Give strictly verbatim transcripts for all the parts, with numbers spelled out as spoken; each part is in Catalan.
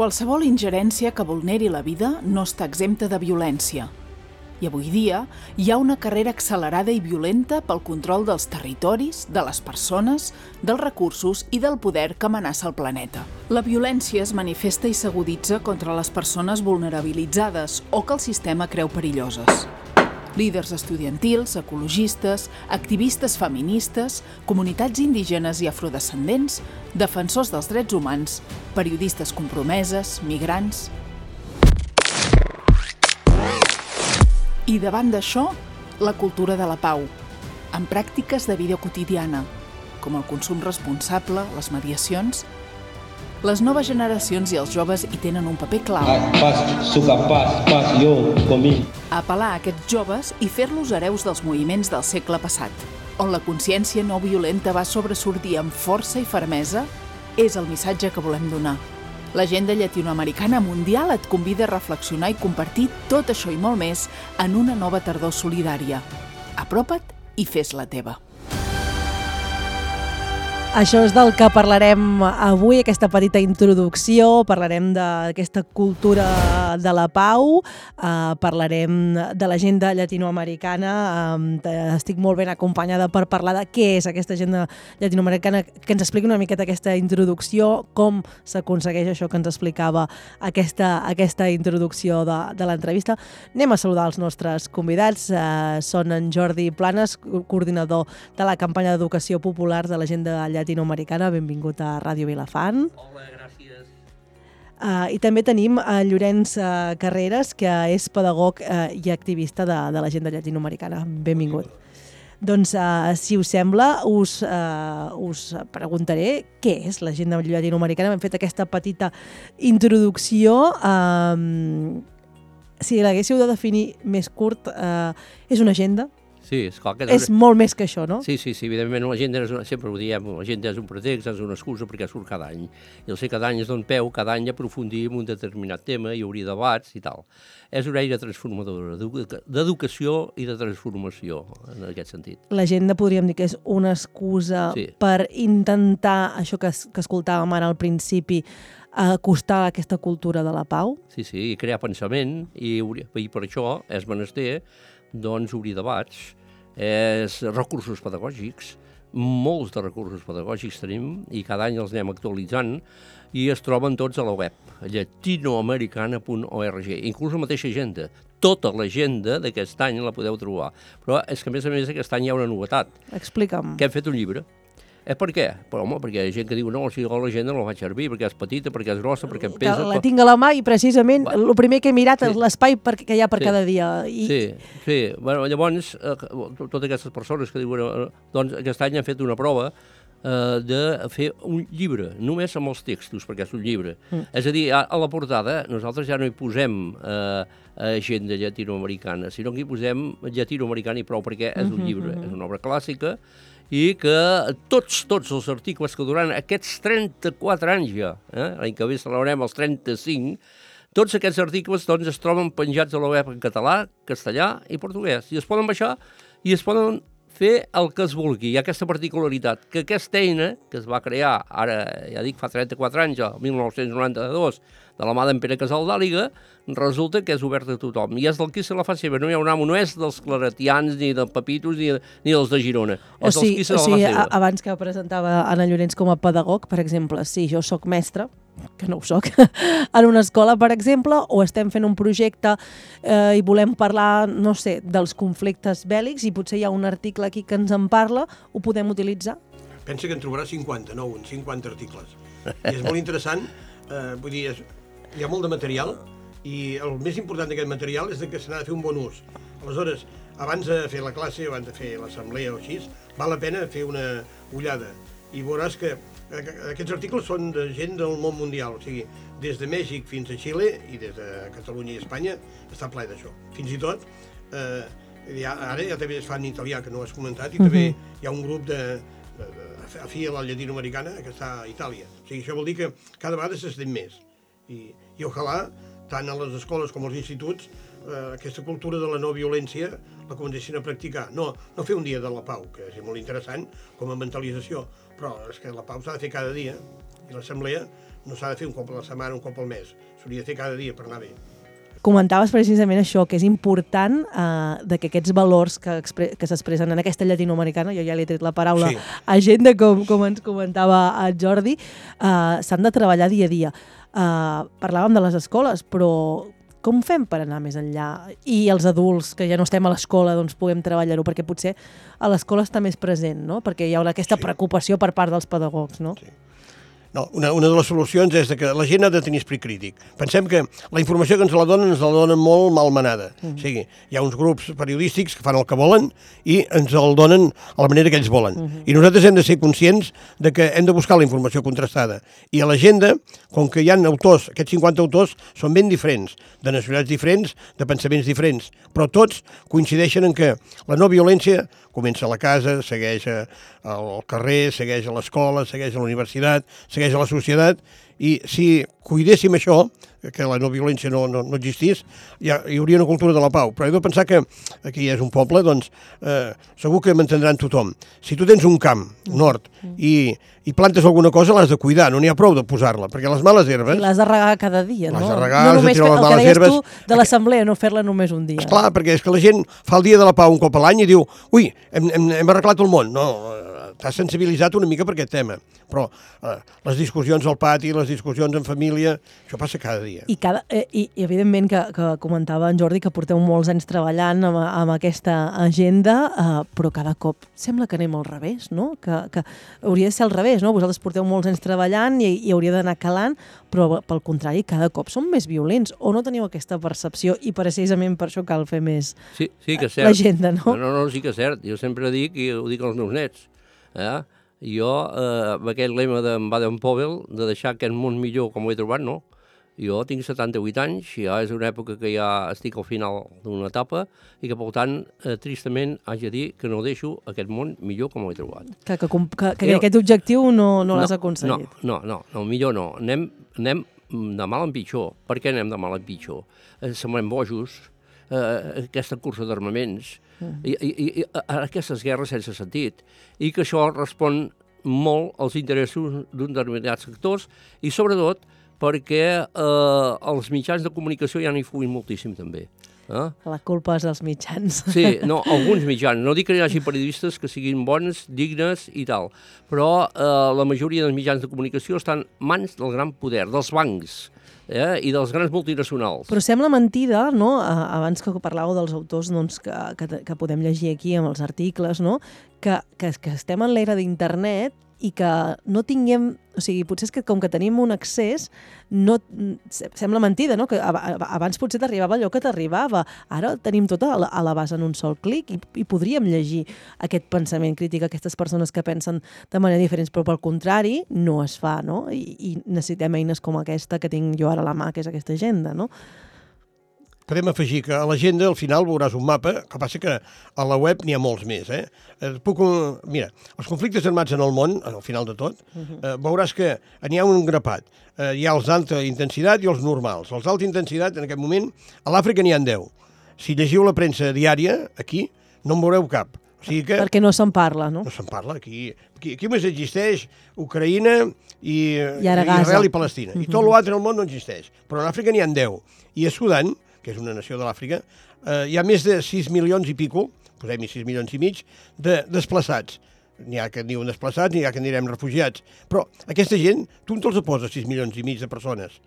Qualsevol ingerència que vulneri la vida no està exempta de violència. I avui dia hi ha una carrera accelerada i violenta pel control dels territoris, de les persones, dels recursos i del poder que amenaça el planeta. La violència es manifesta i s'aguditza contra les persones vulnerabilitzades o que el sistema creu perilloses. Líders estudiantils, ecologistes, activistes feministes, comunitats indígenes i afrodescendents, defensors dels drets humans, periodistes compromeses, migrants... I davant d'això, la cultura de la pau, amb pràctiques de vida quotidiana, com el consum responsable, les mediacions. Les noves generacions i els joves hi tenen un paper clau. Pas, suca, pas, pas, jo, comí. Apel·lar a aquests joves i fer-los hereus dels moviments del segle passat, on la consciència no violenta va sobresortir amb força i fermesa, és el missatge que volem donar. L'Agenda Llatinoamericana Mundial et convida a reflexionar i compartir tot això i molt més en una nova tardor solidària. Apropa't i fes-la teva. Això és del que parlarem avui, aquesta petita introducció. Parlarem d'aquesta cultura de la pau, eh, parlarem de l'agenda llatinoamericana. Eh, estic molt ben acompanyada per parlar de què és aquesta agenda llatinoamericana, que ens expliqui una miqueta aquesta introducció, com s'aconsegueix això que ens explicava aquesta, aquesta introducció de, de l'entrevista. Anem a saludar els nostres convidats. Eh, són en Jordi Planes, coordinador de la campanya d'educació popular de l'agenda llatinoamericana llatinoamericana. Benvingut a Ràdio Vilafant. Hola, gràcies. Uh, I també tenim a Llorenç uh, Carreras, que és pedagog uh, i activista de, de l'agenda llatinoamericana. Benvingut. Doncs, uh, si us sembla, us, uh, us preguntaré què és l'agenda llatinoamericana. Hem fet aquesta petita introducció. Um, si l'haguéssiu de definir més curt, uh, és una agenda? Sí, esclar que... És molt més que això, no? Sí, sí, sí, evidentment l'agenda és una, sempre ho diem, l'agenda és un pretext, és una excusa perquè surt cada any. I el sé cada any es dona peu, cada any aprofundir en un determinat tema, hi hauria debats i tal. És una eina transformadora d'educació i de transformació, en aquest sentit. L'agenda podríem dir que és una excusa sí. per intentar, això que, que escoltàvem ara al principi, acostar aquesta cultura de la pau? Sí, sí, i crear pensament, i, i per això és menester doncs obrir debats, és recursos pedagògics, molts de recursos pedagògics tenim i cada any els anem actualitzant i es troben tots a la web, llatinoamericana punt org, inclús la mateixa agenda. Tota l'agenda d'aquest any la podeu trobar, però és que a més a més aquest any hi ha una novetat. Explica'm. Que hem fet un llibre. Eh, per què? Però, home, perquè hi ha gent que diu no, si l'agenda no la faig servir, perquè és petita, perquè és grossa, perquè em pesa... La tinc a la mà i precisament el bueno, primer que he mirat sí. és l'espai que hi ha per sí. cada dia. I... Sí, sí. Bueno, llavors, eh, totes aquestes persones que diuen... Eh, doncs aquest any han fet una prova eh, de fer un llibre, només amb els textos, perquè és un llibre. Mm. És a dir, a, a la portada nosaltres ja no hi posem eh, agenda llatinoamericana, sinó que hi posem llatinoamericana i prou, perquè és un llibre, mm-hmm. és una obra clàssica, i que tots, tots els articles que durant aquests trenta-quatre anys ja, eh, l'any que ve celebrem els trenta-cinc, tots aquests articles doncs, es troben penjats a la web en català, castellà i portuguès. I es poden baixar i es poden fer el que es vulgui. Hi ha aquesta particularitat, que aquesta eina, que es va crear, ara ja dic, fa trenta-quatre anys, el mil nou-cents noranta-dos, de la mà d'en Pere Casal d'Àliga, resulta que és oberta a tothom. I és del qui se la fa seva. No hi ha un amo, no és dels claretians, ni dels papitos, ni, ni dels de Girona. O és sigui, dels qui se la o sigui fa seva. Abans que presentava Anna Llorenç com a pedagog, per exemple, si jo sóc mestre, que no ho soc, en una escola, per exemple, o estem fent un projecte eh, i volem parlar, no sé, dels conflictes bèl·lics i potser hi ha un article aquí que ens en parla, ho podem utilitzar? Pensa que en trobaràs cinquanta-nou, cinquanta articles. I és molt interessant, eh, vull dir, és, hi ha molt de material i el més important d'aquest material és que se n'ha de fer un bon ús. Aleshores, abans de fer la classe, abans de fer l'assemblea o així, val la pena fer una ullada i veuràs que aquests articles són de gent del món mundial, o sigui, des de Mèxic fins a Xile i des de Catalunya i Espanya està ple d'això. Fins i tot, eh, ja, ara ja també es fa en italià, que no has comentat, i uh-huh. també hi ha un grup de, de, de afí a la llatinoamericana que està a Itàlia. O sigui, això vol dir que cada vegada s'estén més. I, i ojalà tant a les escoles com als instituts, eh, aquesta cultura de la no violència la comencessin a practicar. No, no fer un dia de la pau, que és molt interessant com a mentalització, però és que la pau s'ha de fer cada dia, i l'assemblea no s'ha de fer un cop a la setmana, un cop al mes, s'hauria de fer cada dia per anar bé. Comentaves precisament això, que és important eh, de que aquests valors que, que s'expressen en aquesta llatinoamericana, jo ja li he tret la paraula sí. agenda, com, com ens comentava el Jordi, eh, s'han de treballar dia a dia. Eh, parlàvem de les escoles, però com fem per anar més enllà? I els adults, que ja no estem a l'escola, doncs puguem treballar-ho, perquè potser a l'escola està més present, no? Perquè hi ha aquesta sí. preocupació per part dels pedagogs, no? Sí. No, una, una de les solucions és que la gent ha de tenir esperit crític. Pensem que la informació que ens la donen ens la donen molt malmenada. Mm-hmm. O sigui, hi ha uns grups periodístics que fan el que volen i ens el donen a la manera que ells volen. Mm-hmm. I nosaltres hem de ser conscients de que hem de buscar la informació contrastada. I a l'agenda, com que hi ha autors, aquests cinquanta autors són ben diferents, de nacionalitats diferents, de pensaments diferents, però tots coincideixen en que la no violència comença a la casa, segueix al carrer, segueix a l'escola, segueix a la universitat, segueix a la societat, i si cuidéssim això, que la no violència no, no, no existís, ja, hi hauria una cultura de la pau. Però he de pensar que aquí és un poble, doncs eh, segur que m'entendran tothom. Si tu tens un camp, un hort, i, i plantes alguna cosa, l'has de cuidar, no n'hi ha prou de posar-la, perquè les males herbes... I l'has de regar cada dia, no? L'has de regar, no has de tirar les males herbes... El que deies tu de l'assemblea, no fer-la només un dia. Esclar, perquè és que la gent fa el dia de la pau un cop a l'any i diu ui, hem, hem, hem arreglat el món. No, t'has sensibilitzat una mica per aquest tema. Però eh, les discussions al pati, les discussions en família, això passa cada dia. I, cada, eh, i, i evidentment que, que comentava en Jordi que porteu molts anys treballant amb, amb aquesta agenda, eh, però cada cop sembla que anem al revés, no? Que, que hauria de ser al revés, no? Vosaltres porteu molts anys treballant i, i hauria d'anar calant, però pel contrari, cada cop som més violents, o no teniu aquesta percepció i precisament per això cal fer més sí, sí que és cert. l'agenda, no? No, no, sí que és cert. Jo sempre dic, i ho dic als meus nets, eh? Jo, eh, amb aquest lema d'en Baden-Powell, de deixar aquest món millor com ho he trobat, no? Jo tinc setanta-vuit anys, ja és una època que ja estic al final d'una etapa i que, per tant, eh, tristament, haig de dir que no deixo aquest món millor com ho he trobat. Que, que, que, que aquest objectiu no, no, no l'has aconseguit. No, no, no, no, millor no. Anem, anem de mal en pitjor. Per què anem de mal en pitjor? Eh, semblem bojos, eh, aquesta cursa d'armaments, mm. i, i, i aquestes guerres sense sentit, i que això respon molt als interessos d'un determinats sectors i, sobretot, perquè eh, els mitjans de comunicació ja n'hi fuguin moltíssim, també. Eh? La culpa és dels mitjans. Sí, no, alguns mitjans. No dic que hi hagi periodistes que siguin bons, dignes i tal, però eh, la majoria dels mitjans de comunicació estan en mans del gran poder, dels bancs, eh, i dels grans multinacionals. Però sembla mentida, no?, abans que parlàveu dels autors doncs, que, que, que podem llegir aquí amb els articles, no?, que, que, que estem en l'era d'internet i que no tinguem... O sigui, potser és que com que tenim un accés, no, sembla mentida, no?, que abans potser t'arribava allò que t'arribava. Ara tenim tot a l'abast en un sol clic i, i podríem llegir aquest pensament crític, aquestes persones que pensen de manera diferent, però pel contrari no es fa, no? I, i necessitem eines com aquesta que tinc jo ara a la mà, que és aquesta agenda, no? Podem afegir que a l'agenda al final veuràs un mapa, que passa que a la web n'hi ha molts més. Eh? Puc, mira, els conflictes armats en el món, al final de tot, eh, veuràs que n'hi ha un grapat. Eh, hi ha els d'alta intensitat i els normals. Els d'alta intensitat, en aquest moment, a l'Àfrica n'hi ha deu. Si llegiu la premsa diària, aquí, no en veureu cap. O sigui que... Perquè no se'n parla, no? No se'n parla. Aquí, aquí, aquí només existeix Ucraïna i, I, i Israel i Palestina. Uh-huh. I tot l'altre al món no existeix. Però a l'Àfrica n'hi ha deu. I a Sudan, que és una nació de l'Àfrica, eh, hi ha més de sis milions i pico, posem-hi sis milions i mig, de desplaçats. N'hi ha que en diuen desplaçats, n'hi ha que en direm refugiats. Però aquesta gent, tu on te'ls poses sis milions i mig de persones?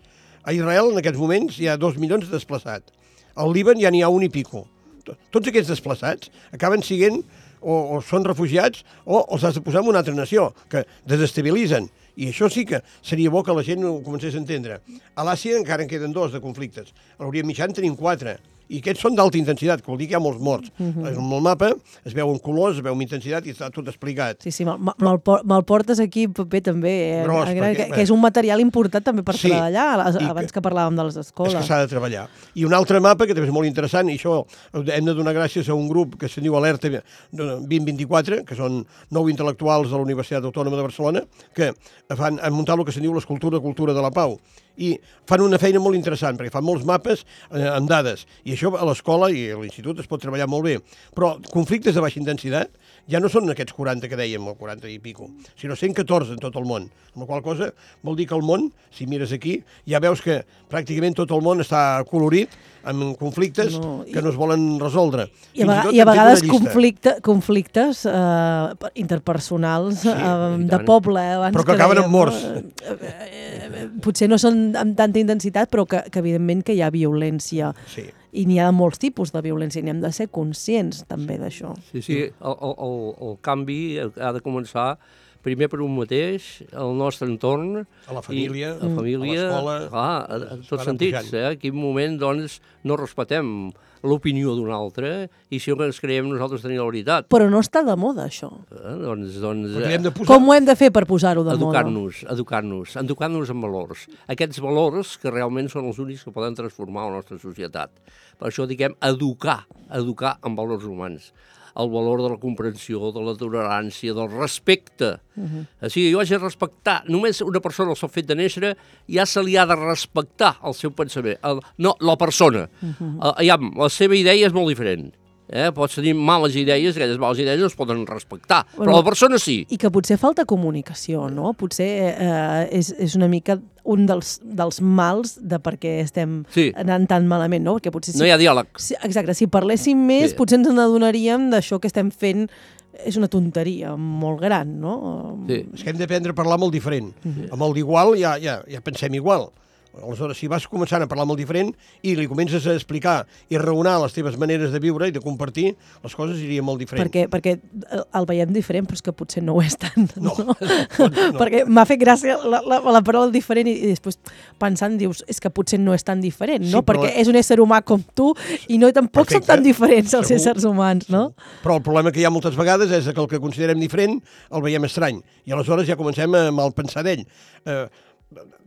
A Israel, en aquests moments, hi ha dos milions de desplaçats. Al Líban ja n'hi ha un i pico. Tots aquests desplaçats acaben sent o, o són refugiats o els has de posar en una altra nació, que desestabilitzen. I això sí que seria bo que la gent ho comencés a entendre. A l'Àsia encara en queden dos de conflictes. A l'Orient Mitjà en tenim quatre. I aquests són d'alta intensitat, que vol dir que hi ha molts morts. Uh-huh. En el mapa es veuen colors, es veu amb intensitat i està tot explicat. Sí, sí, me'l me, me portes aquí paper també, eh? Gros, perquè, que, que és un material important també per sí, treballar, abans que, que parlàvem de les escoles. És que s'ha de treballar. I un altre mapa, que també és molt interessant, i això hem de donar gràcies a un grup que se'n diu Alerta vint vint-i-quatre, que són nou intel·lectuals de la Universitat Autònoma de Barcelona, que fan, han muntat el que se'n diu l'escultura cultura de la pau. i fan una feina molt interessant, perquè fan molts mapes eh, amb dades, i això a l'escola i a l'institut es pot treballar molt bé. Però conflictes de baixa intensitat ja no són aquests quaranta que dèiem, o quaranta i pico, sinó cent catorze en tot el món. Amb la qual cosa vol dir que el món, si mires aquí, ja veus que pràcticament tot el món està colorit amb conflictes no, i... que no es volen resoldre. I a, i a vegades conflicte, conflictes eh, interpersonals sí, eh, de poble. Abans però que, que acaben amb morts. Eh, eh, potser no són amb tanta intensitat, però que, que evidentment que hi ha violència. Sí. I n'hi ha molts tipus de violència, i n'hem de ser conscients també d'això. Sí, sí, el, el, el canvi ha de començar primer per un mateix, el nostre entorn... A la família, i, a, família a l'escola... Clar, a, a tots sentits, eh? En quin moment, doncs, no respetem l'opinió d'un altre i si no ens creiem nosaltres tenir la veritat. Però no està de moda, això. Eh? Doncs, doncs, eh, posar... Com ho hem de fer per posar-ho de educar-nos, moda? Educar-nos, educar-nos en valors. Aquests valors que realment són els únics que poden transformar la nostra societat. Per això diguem educar, educar en valors humans. El valor de la comprensió, de la tolerància, del respecte. Uh-huh. O sigui, jo haig de respectar, només una persona al seu fet de néixer ja se li ha de respectar el seu pensament. El, no, la persona. Uh-huh. Uh, ja, la seva idea és molt diferent. Eh? Pots tenir males idees, aquelles males idees no es poden respectar, bueno, però la persona sí. I que potser falta comunicació, no? Potser eh, és, és una mica un dels, dels mals de per què estem sí. anant tan malament, no? Perquè potser si, no hi ha diàleg. Si, exacte, si parléssim més, sí. potser ens n'adonaríem d'això que estem fent és una tonteria molt gran, no? Sí. És que hem d'aprendre a parlar molt diferent. Sí. Amb el d'igual ja, ja, ja pensem igual. Aleshores, si vas començant a parlar molt diferent i li comences a explicar i raonar les teves maneres de viure i de compartir, les coses irien molt diferent. Perquè, perquè el veiem diferent, però és que potser no ho és tant. No, no? no. Perquè m'ha fet gràcia la, la, la paraula diferent i, i després pensant dius, és que potser no és tan diferent, no? Sí, perquè la... és un ésser humà com tu i no tampoc Perfecte. Són tan diferents els Segur. Éssers humans, no? Segur. Però el problema que hi ha moltes vegades és que el que considerem diferent el veiem estrany i aleshores ja comencem a malpensar d'ell. Eh,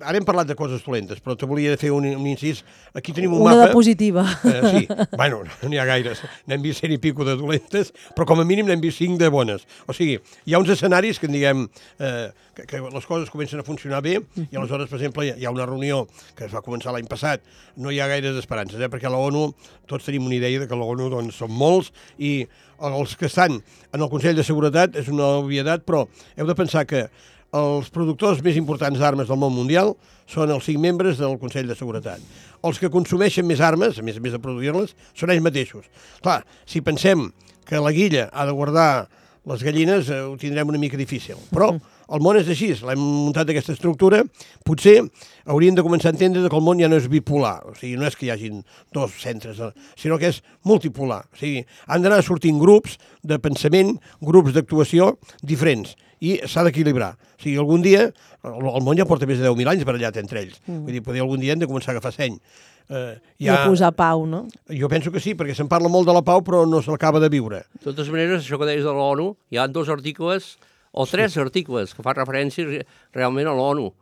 Ara hem parlat de coses dolentes, però te volia fer un, un incís. Aquí tenim un Una mapa... de positiva. Eh, sí, bueno, no n'hi ha gaires. N'hem vist cent i pico de dolentes, però com a mínim n'hem vist cinc de bones. O sigui, hi ha uns escenaris que en diguem eh, que, que les coses comencen a funcionar bé i aleshores, per exemple, hi ha una reunió que es va començar l'any passat, no hi ha gaires esperances, eh, perquè la ONU, tots tenim una idea de que la ONU doncs, són molts i els que estan en el Consell de Seguretat és una obvietat, però heu de pensar que els productors més importants d'armes del món mundial són els cinc membres del Consell de Seguretat. Els que consumeixen més armes, a més a més de produir-les, són ells mateixos. Clar, si pensem que la guilla ha de guardar les gallines, eh, ho tindrem una mica difícil. Però el món és així, l'hem muntat aquesta estructura, potser hauríem de començar a entendre que el món ja no és bipolar, o sigui, no és que hi hagin dos centres, sinó que és multipolar. O sigui, han d'anar sortint grups de pensament, grups d'actuació diferents, i s'ha d'equilibrar. O sigui, algun dia, el, el món ja porta més de deu mil anys barallat entre ells. Mm. Vull dir, poder algun dia hem de començar a agafar seny. Eh, ja... I a posar pau, no? Jo penso que sí, perquè se'n parla molt de la pau, però no se l'acaba de viure. De totes maneres, això que deies de l'ONU, hi ha dos articles, o tres sí. articles, que fan referència realment a l'ONU.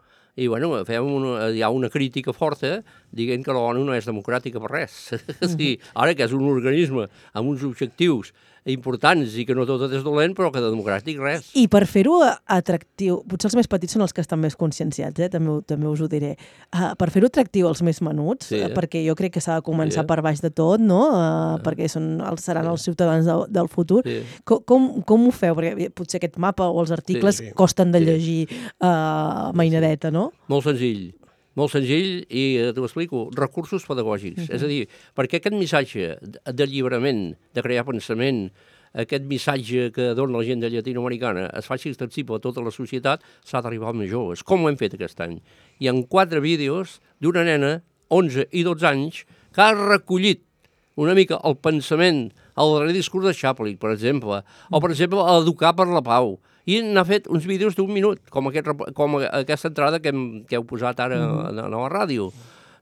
I, bueno, fem una, hi ha una crítica forta dient que l'ONU no és democràtica per res. Mm-hmm. Sí, ara que és un organisme amb uns objectius importants i que no tot és dolent, però que de democràtic res. I per fer-ho atractiu, potser els més petits són els que estan més conscienciats, eh? també, també us ho diré, uh, per fer-ho atractiu als més menuts, sí. uh, perquè jo crec que s'ha de començar sí. per baix de tot, no? Uh, ah. perquè són, els, seran sí. els ciutadans de, del futur. Sí. Com, com, com ho feu? Perquè potser aquest mapa o els articles sí, sí. costen de llegir uh, mainadeta, no? Molt senzill. Molt senzill i eh, t'ho explico, recursos pedagògics. Uh-huh. És a dir, perquè aquest missatge d'alliberament, de crear pensament, aquest missatge que dona la gent de llatinoamericana es faci extensible a tota la societat, s'ha d'arribar als més joves. Com ho hem fet aquest any? Hi ha quatre vídeos d'una nena, onze i dotze anys, que ha recollit una mica el pensament, el darrer discurs de Chaplin, per exemple, o, per exemple, educar per la pau. I n'ha fet uns vídeos d'un minut, com, aquest, com aquesta entrada que, hem, que heu posat ara mm. a, a la ràdio.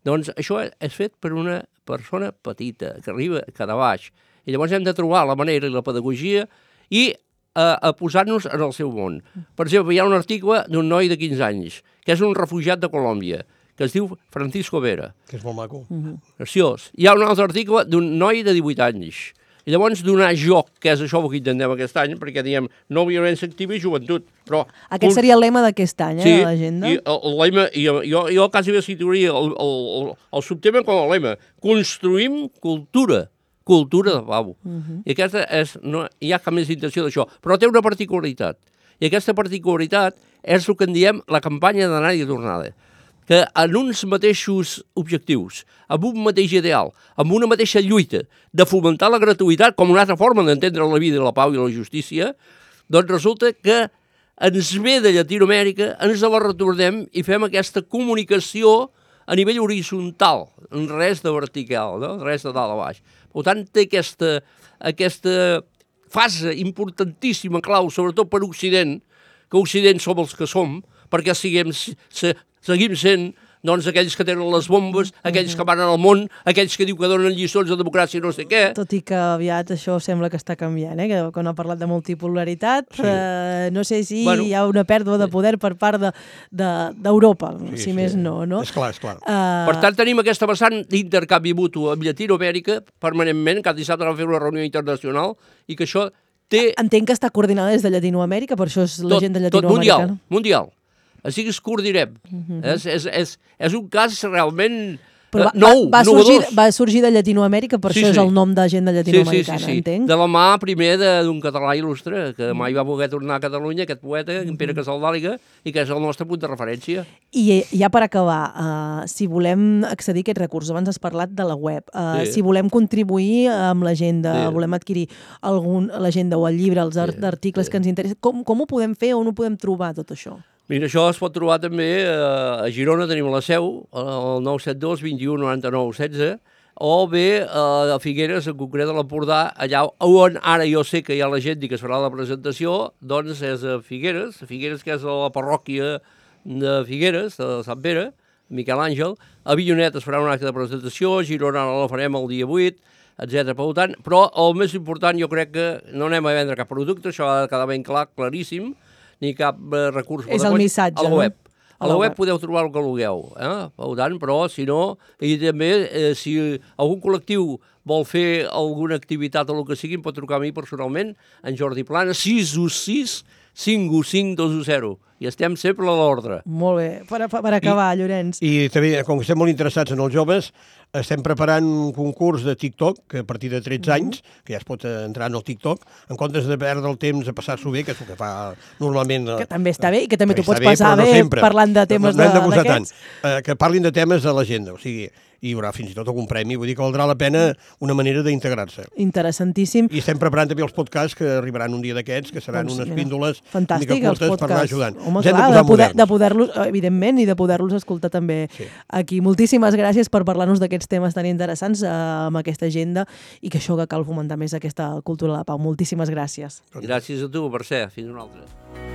Doncs això és fet per una persona petita, que arriba cada baix. I llavors hem de trobar la manera i la pedagogia i a, a posar-nos en el seu món. Per exemple, hi ha un article d'un noi de quinze anys, que és un refugiat de Colòmbia, que es diu Francisco Vera. Que és molt maco. Mm-hmm. Graciós. Hi ha un altre article d'un noi de divuit anys, I llavors donar joc, que és això que intentem aquest any, perquè diem no violència activa i joventut. Però, Aquest seria el lema d'aquest any, eh, sí, de l'agenda. i el, el lema, i jo, jo quasi bé situaria el, el, el, el subtema com a lema. Construïm cultura, cultura de pau. Uh -huh. I aquesta és, no hi ha cap més intenció d'això, però té una particularitat. I aquesta particularitat és el que en diem la campanya d'anada i tornada, que en uns mateixos objectius, amb un mateix ideal, amb una mateixa lluita de fomentar la gratuïtat com una altra forma d'entendre la vida, la pau i la justícia, doncs resulta que ens ve de Llatinoamèrica, ens la retornem i fem aquesta comunicació a nivell horitzontal, res de vertical, no? Res de dalt a baix. Per tant, té aquesta, aquesta fase importantíssima, clau, sobretot per Occident, que Occident som els que som, perquè siguem, se, seguim sent doncs, aquells que tenen les bombes, aquells que van al món, aquells que diu que donen lliçons de democràcia i no sé què. Tot i que aviat això sembla que està canviant, eh? Que quan ha parlat de multipolaritat, sí. eh, no sé si bueno, hi ha una pèrdua de poder per part d'Europa, de, de, sí, si sí. més no, no? És clar, és clar. Uh... Per tant, tenim aquesta vessant d'intercanvi mutu amb Llatinoamèrica permanentment, cada dissabte vam fer una reunió internacional, i que això té... Entenc que està coordinada des de Llatinoamèrica, per això és l'agenda llatinoamericana. Tot mundial, mundial. Així que es coordinem. Uh -huh. és, és, és, és un cas realment Però va, nou, va, sorgir, va sorgir de Llatinoamèrica, per sí, això sí. és el nom d'agenda llatinoamericana, sí, sí, sí, sí. entenc. De la mà, primer, d'un català il·lustre, que mai va voler tornar a Catalunya, aquest poeta, en Pere Casaldàliga, i que és el nostre punt de referència. I ja per acabar, uh, si volem accedir a aquests recursos, abans has parlat de la web, uh, sí. si volem contribuir amb l'agenda, sí. volem adquirir algun l'agenda o el llibre, els art, sí. articles sí. que ens interessen, com, com ho podem fer, on ho podem trobar, tot això? Mira, això es pot trobar també a Girona, tenim la seu, al nou set dos, vint u, noranta-nou, setze, o bé a Figueres, en concret a l'Empordà, allà on ara jo sé que hi ha la gent que es farà la presentació, doncs és a Figueres, Figueres que és la parròquia de Figueres, de Sant Pere, Miquel Àngel, a Avinyonet es farà un acte de presentació, a Girona la farem el dia vuit, etcètera. Per tant, però el més important jo crec que no anem a vendre cap producte, això ha de quedar ben clar, claríssim, ni cap eh, recurs. És el missatge, a la web. no? A la web podeu trobar el que vulgueu, eh? Per tant, però, si no, i també, eh, si algun col·lectiu vol fer alguna activitat o el que sigui, em pot trucar a mi personalment, en Jordi Plana, sis u sis, cinc u cinc, dos u zero. I estem sempre a l'ordre. Molt bé. Per, per acabar, I, Llorenç. I també, com que estem molt interessats en els joves, estem preparant un concurs de TikTok, que a partir de tretze mm -hmm. anys, que ja es pot entrar en el TikTok, en comptes de perdre el temps a passar-s'ho bé, que és el que fa normalment... Que també està bé, i que també t'ho pots bé, passar no bé sempre. parlant de temes no, no hem de posar d'aquests. tant. Eh, que parlin de temes de l'agenda, o sigui, hi haurà fins i tot algun premi, vull dir que valdrà la pena una manera d'integrar-se. Interessantíssim. I estem preparant també els podcasts que arribaran un dia d'aquests, que seran doncs, unes mira, píndoles fantàstic, una mica curtes per anar ajudant. Home, clar, de, de poder, de poder-los, evidentment, i de poder-los escoltar també sí. aquí. Moltíssimes gràcies per parlar-nos d'aquests temes tan interessants eh, amb aquesta agenda, i que això que cal fomentar més aquesta cultura de la pau. Moltíssimes gràcies. Gràcies a tu, Mercè. Fins una altra.